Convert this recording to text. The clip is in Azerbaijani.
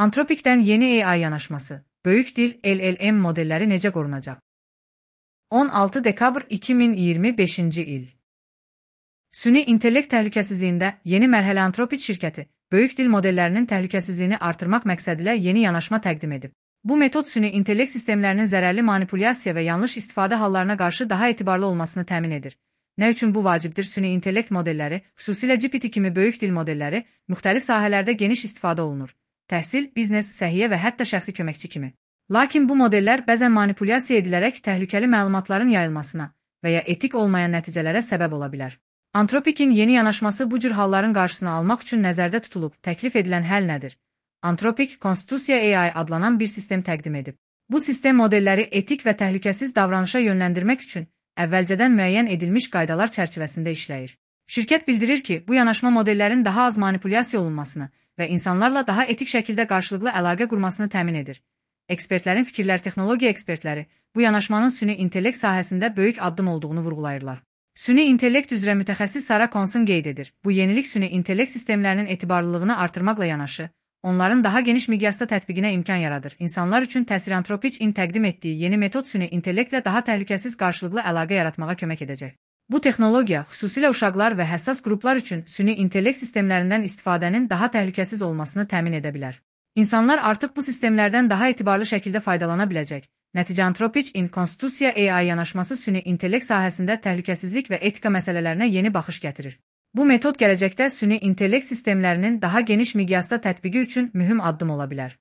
Anthropic'dən yeni AI yanaşması, böyük dil LLM modelləri necə qorunacaq? 16 dekabr 2025-ci il. Süni intellekt təhlükəsizliyində yeni mərhələ Anthropic şirkəti, böyük dil modellərinin təhlükəsizliyini artırmaq məqsədilə yeni yanaşma təqdim edib. Bu metod süni intellekt sistemlərinin zərərli manipulyasiya və yanlış istifadə hallarına qarşı daha etibarlı olmasını təmin edir. Nə üçün bu vacibdir? Süni intellekt modelləri, xüsusilə GPT kimi böyük dil modelləri, müxtəlif sahələrdə geniş istifadə olunur. Təhsil, biznes, səhiyyə və hətta şəxsi köməkçi kimi. Lakin bu modellər bəzən manipulyasiya edilərək təhlükəli məlumatların yayılmasına və ya etik olmayan nəticələrə səbəb ola bilər. Anthropic'in yeni yanaşması bu cür halların qarşısını almaq üçün nəzərdə tutulub. Təklif edilən həll nədir? Anthropic, Konstitusiya AI adlanan bir sistem təqdim edib. Bu sistem modelləri etik və təhlükəsiz davranışa yönləndirmək üçün əvvəlcədən müəyyən edilmiş qaydalar çərçivəsində işləyir. Şirkət bildirir ki, bu yanaşma modellərin daha az manipulyasiya olunmasını və insanlarla daha etik şəkildə qarşılıqlı əlaqə qurmasını təmin edir. Ekspertlərin fikirləri, texnologiya ekspertləri bu yanaşmanın süni intellekt sahəsində böyük addım olduğunu vurğulayırlar. Süni intellekt üzrə mütəxəssis Sarah Conson qeyd edir. Bu yenilik süni intellekt sistemlərinin etibarlılığını artırmaqla yanaşı, onların daha geniş miqyasda tətbiqinə imkan yaradır. İnsanlar üçün təsir Anthropic'in təqdim etdiyi yeni metod süni intellektlə daha təhlükəsiz qarşılıqlı əlaqə yaratmağa kömək edəcək. Bu texnologiya, xüsusilə uşaqlar və həssas qruplar üçün süni intellekt sistemlərindən istifadənin daha təhlükəsiz olmasını təmin edə bilər. İnsanlar artıq bu sistemlərdən daha etibarlı şəkildə faydalana biləcək. Nəticə Anthropic'in Konstitusiya AI yanaşması süni intellekt sahəsində təhlükəsizlik və etika məsələlərinə yeni baxış gətirir. Bu metod gələcəkdə süni intellekt sistemlərinin daha geniş miqyasda tətbiqi üçün mühüm addım ola bilər.